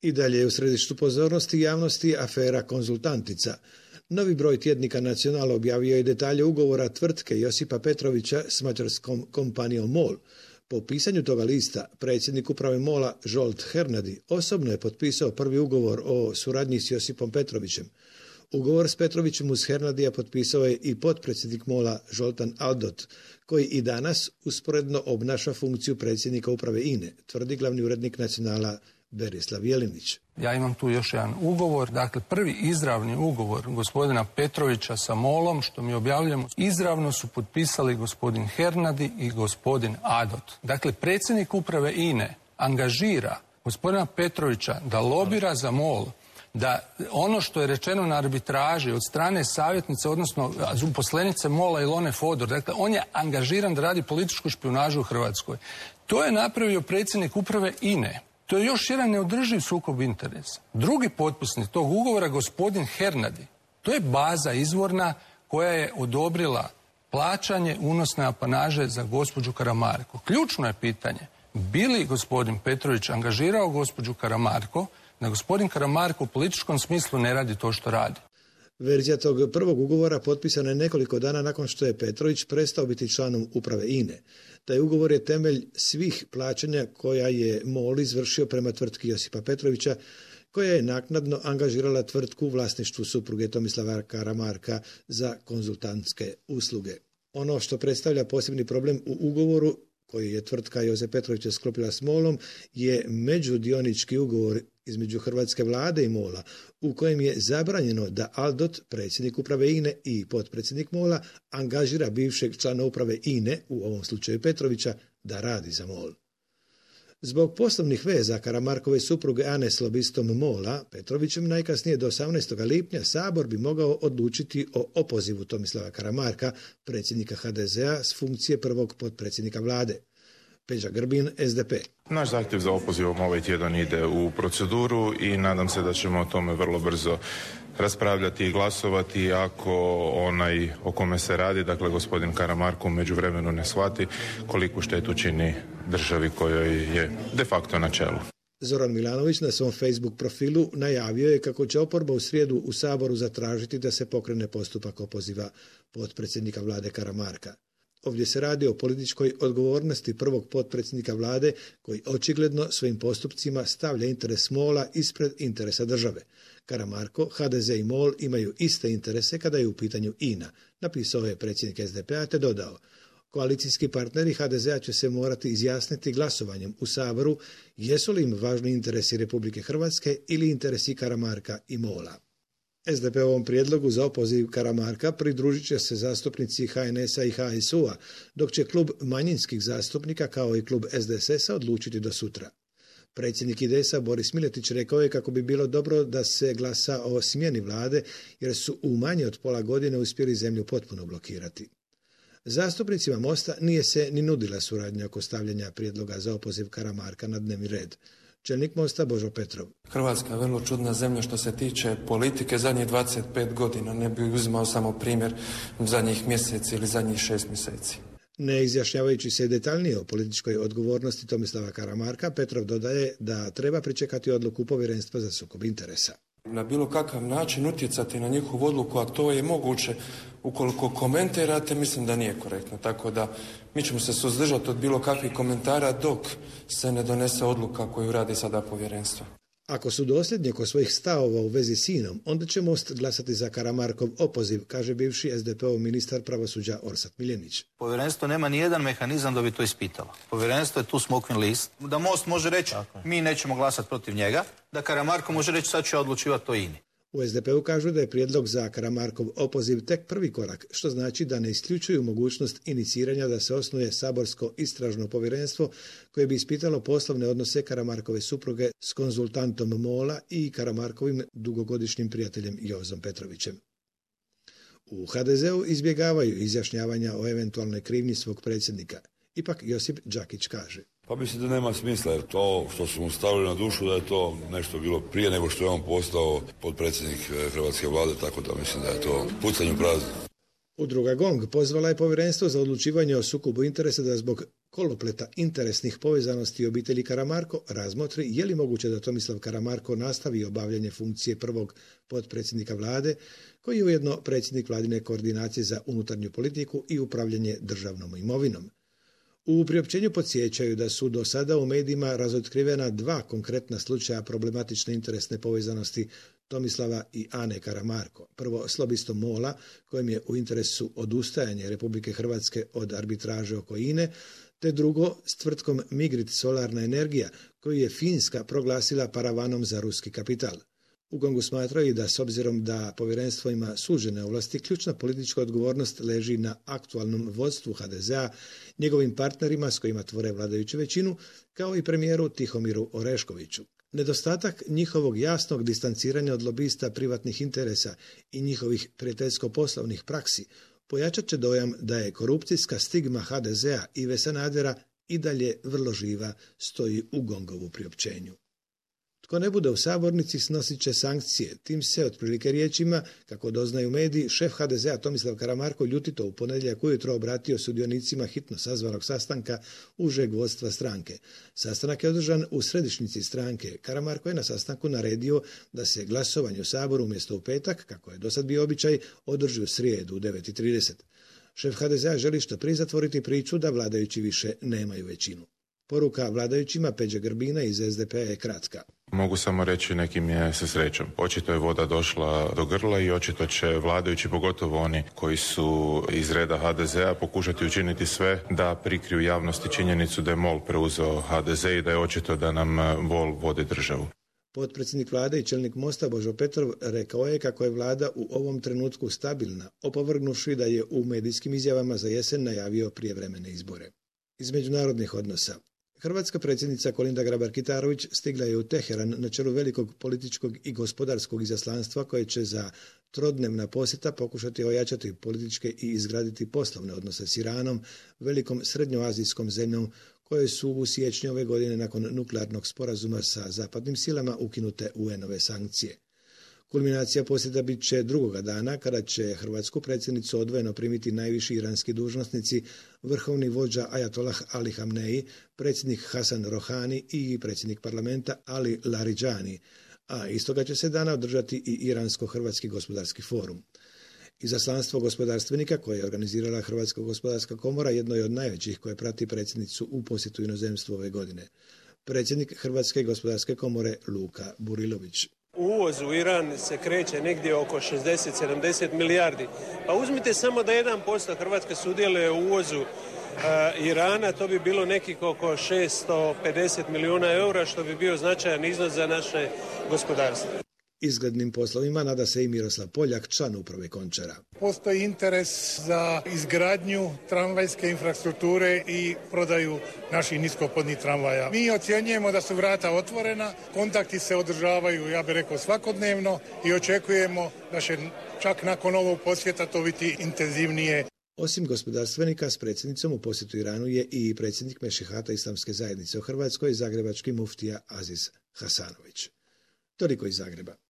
I dalje je u središtu pozornosti javnosti afera Konzultantica. Novi broj tjednika Nacional objavio je detalje ugovora tvrtke Josipa Petrovića s mađarskom kompanijom MOL. Po pisanju toga lista, predsjednik uprave MOL-a Zsolt Hernadi osobno je potpisao prvi ugovor o suradnji s Josipom Petrovićem. Ugovor s Petrovićem uz Hernadija potpisao je i potpredsjednik MOL-a Zoltan Aldott, koji i danas usporedno obnaša funkciju predsjednika uprave INE, tvrdi glavni urednik Nacionala Berislav Jelinić. Ja imam tu još jedan ugovor, dakle prvi izravni ugovor gospodina Petrovića sa MOL-om, što mi objavljamo, izravno su potpisali gospodin Hernadi i gospodin Aldott. Dakle, predsjednik uprave INE angažira gospodina Petrovića da lobira za MOL, da ono što je rečeno na arbitraži od strane savjetnice, odnosno uposlenice MOL-a Ilone Fodor, dakle on je angažiran da radi političku špijunažu u Hrvatskoj. To je napravio predsjednik uprave INE. To je još jedan neodrživ sukob interesa. Drugi potpisnik tog ugovora, gospodin Hernadi, to je baza izvorna koja je odobrila plaćanje unosne apanaže za gospođu Karamarko. Ključno je pitanje, bi li gospodin Petrović angažirao gospođu Karamarko da gospodin Karamarko u političkom smislu ne radi to što radi? Verzija tog prvog ugovora potpisana je nekoliko dana nakon što je Petrović prestao biti članom uprave INE. Taj ugovor je temelj svih plaćanja koja je MOL izvršio prema tvrtki Josipa Petrovića, koja je naknadno angažirala tvrtku u vlasništvu supruge Tomislava Karamarka za konzultantske usluge. Ono što predstavlja posebni problem u ugovoru koji je tvrtka Josip Petrovića sklopila s MOL-om je međudionički ugovor između hrvatske vlade i MOL-a, u kojem je zabranjeno da Aldott, predsjednik uprave INE i potpredsjednik MOL-a, angažira bivšeg člana uprave INE, u ovom slučaju Petrovića, da radi za MOL. Zbog poslovnih veza Karamarkove supruge Ane s lobistom MOL-a, Petrovićem, najkasnije do 18. lipnja Sabor bi mogao odlučiti o opozivu Tomislava Karamarka, predsjednika HDZ-a, s funkcije prvog potpredsjednika vlade. Peđa Grbin, SDP. Naš zahtjev za opozivom ovaj tjedan ide u proceduru i nadam se da ćemo o tome vrlo brzo raspravljati i glasovati ako onaj o kome se radi, dakle gospodin Karamarko, u međuvremenu ne shvati koliku štetu čini državi kojoj je de facto na čelu. Zoran Milanović na svom Facebook profilu najavio je kako će oporba u srijedu u Saboru zatražiti da se pokrene postupak opoziva potpredsjednika vlade Karamarka. Ovdje se radi o političkoj odgovornosti prvog potpredsjednika vlade koji očigledno svojim postupcima stavlja interes MOL-a ispred interesa države. Karamarko, HDZ i MOL imaju iste interese kada je u pitanju INA, napisao je predsjednik SDP-a te dodao: koalicijski partneri HDZ-a će se morati izjasniti glasovanjem u Saboru jesu li im važni interesi Republike Hrvatske ili interesi Karamarka i MOL-a. SDP-ovom prijedlogu za opoziv Karamarka pridružit će se zastupnici HNS-a i HSU-a, dok će klub manjinskih zastupnika kao i klub SDSS-a odlučiti do sutra. Predsjednik IDS-a Boris Miletić rekao je kako bi bilo dobro da se glasa o smjeni vlade jer su u manje od pola godine uspjeli zemlju potpuno blokirati. Zastupnicima Mosta nije se ni nudila suradnja oko stavljanja prijedloga za opoziv Karamarka na dnevni red. Čelnik Mosta Božo Petrov. Hrvatska je vrlo čudna zemlja što se tiče politike zadnjih 25 godina. Ne bih uzimao samo primjer zadnjih mjeseci ili zadnjih 6 mjeseci. Ne izjašnjavajući se detaljnije o političkoj odgovornosti Tomislava Karamarka, Petrov dodaje da treba pričekati odluku Povjerenstva za sukob interesa. Na bilo kakav način utjecati na njihovu odluku, a to je moguće ukoliko komentirate, mislim da nije korektno. Tako da mi ćemo se suzdržati od bilo kakvih komentara dok se ne donese odluka koju radi sada povjerenstvo. Ako su dosljedni oko svojih stavova u vezi s INom, onda će Most glasati za Karamarkov opoziv, kaže bivši SDP-ov ministar pravosuđa Orsat Miljenić. Povjerenstvo nema ni jedan mehanizam da bi to ispitalo. Povjerenstvo je tu smokvin list. Da Most može reći mi nećemo glasati protiv njega, da Karamarko može reći sad ću ja odlučivati o INI. U SDP-u kažu da je prijedlog za Karamarkov opoziv tek prvi korak, što znači da ne isključuju mogućnost iniciranja da se osnuje saborsko istražno povjerenstvo koje bi ispitalo poslovne odnose Karamarkove supruge s konzultantom MOL-a i Karamarkovim dugogodišnjim prijateljem Jozom Petrovićem. U HDZ-u izbjegavaju izjašnjavanja o eventualnoj krivnji svog predsjednika. Ipak Josip Đakić kaže: Pa mislim da nema smisla, jer to što su mu stavili na dušu da je to nešto bilo prije nego što je on postao potpredsjednik hrvatske vlade, tako da mislim da je to pucanje u prazno. Udruga GONG pozvala je Povjerenstvo za odlučivanje o sukobu interesa da zbog kolopleta interesnih povezanosti obitelji Karamarko razmotri je li moguće da Tomislav Karamarko nastavi obavljanje funkcije prvog potpredsjednika vlade, koji je ujedno predsjednik vladine koordinacije za unutarnju politiku i upravljanje državnom imovinom. U priopćenju podsjećaju da su do sada u medijima razotkrivena 2 konkretna slučaja problematične interesne povezanosti Tomislava i Ane Karamarko. Prvo s lobistom MOL-a, kojem je u interesu odustajanje Republike Hrvatske od arbitraže oko INE, te drugo s tvrtkom Migrit Solarna energija, koju je Finska proglasila paravanom za ruski kapital. U Gongu smatraju da s obzirom da povjerenstvo ima sužene ovlasti, ključna politička odgovornost leži na aktualnom vodstvu HDZ-a, njegovim partnerima s kojima tvore vladajuću većinu, kao i premijeru Tihomiru Oreškoviću. Nedostatak njihovog jasnog distanciranja od lobista privatnih interesa i njihovih prijateljsko-poslovnih praksi pojačat će dojam da je korupcijska stigma HDZ-a Ive Sanadera i dalje vrlo živa, stoji u Gongovu priopćenju. Tko ne bude u sabornici snosit će sankcije. Tim se otprilike riječima, kako doznaju mediji, šef HDZ-a Tomislav Karamarko ljutito u ponedjeljak ujutro obratio sudionicima hitno sazvanog sastanka užeg vodstva stranke. Sastanak je održan u središnjici stranke. Karamarko je na sastanku naredio da se glasovanje u Saboru umjesto u petak, kako je dosad bio običaj, održi u srijedu u 9:30. Šef HDZ-a želi što prije zatvoriti priču da vladajući više nemaju većinu. Poruka vladajućima Peđe Grbina iz SDP-a je kratka. Mogu samo reći nekim je sa srećom. Očito je voda došla do grla i očito će vladajući, pogotovo oni koji su iz reda HDZ-a, pokušati učiniti sve da prikriju javnosti činjenicu da je MOL preuzeo HDZ i da je očito da nam MOL vodi državu. Potpredsjednik vlade i čelnik Mosta Božo Petrov rekao je kako je vlada u ovom trenutku stabilna, opovrgnuvši da je u medijskim izjavama za jesen najavio prijevremene izbore. Iz međunarodnih odnosa. Hrvatska predsjednica Kolinda Grabar-Kitarović stigla je u Teheran na čelu velikog političkog i gospodarskog izaslanstva koje će za trodnevna posjeta pokušati ojačati političke i izgraditi poslovne odnose s Iranom, velikom srednjoazijskom zemljom koje su u siječnju ove godine nakon nuklearnog sporazuma sa zapadnim silama ukinute UN-ove sankcije. Kulminacija posjeta bit će drugoga dana kada će hrvatsku predsjednicu odvojeno primiti najviši iranski dužnosnici, vrhovni vođa Ajatollah Ali Hamneji, predsjednik Hasan Rohani i predsjednik parlamenta Ali Laridžani, a istoga će se dana održati i Iransko-Hrvatski gospodarski forum. Izaslanstvo gospodarstvenika koje je organizirala Hrvatska gospodarska komora jedno je od najvećih koje prati predsjednicu u posjetu inozemstvu ove godine. Predsjednik Hrvatske gospodarske komore Luka Burilović. Uvoz u Iran se kreće negdje oko 60-70 milijardi. Pa uzmite samo da 1% Hrvatske sudjeluje u uvozu Irana, to bi bilo nekih oko 650 milijuna eura, što bi bio značajan iznos za naše gospodarstvo. Izglednim poslovima nada se i Miroslav Poljak, član uprave Končara. Postoji interes za izgradnju tramvajske infrastrukture i prodaju naših niskopodnih tramvaja. Mi ocjenjujemo da su vrata otvorena, kontakti se održavaju, ja bih rekao, svakodnevno i očekujemo da će čak nakon ovog posjeta to biti intenzivnije. Osim gospodarstvenika, s predsjednicom u posjetu Iranu je i predsjednik Mešihata Islamske zajednice u Hrvatskoj, zagrebački muftija Aziz Hasanović. Toliko iz Zagreba.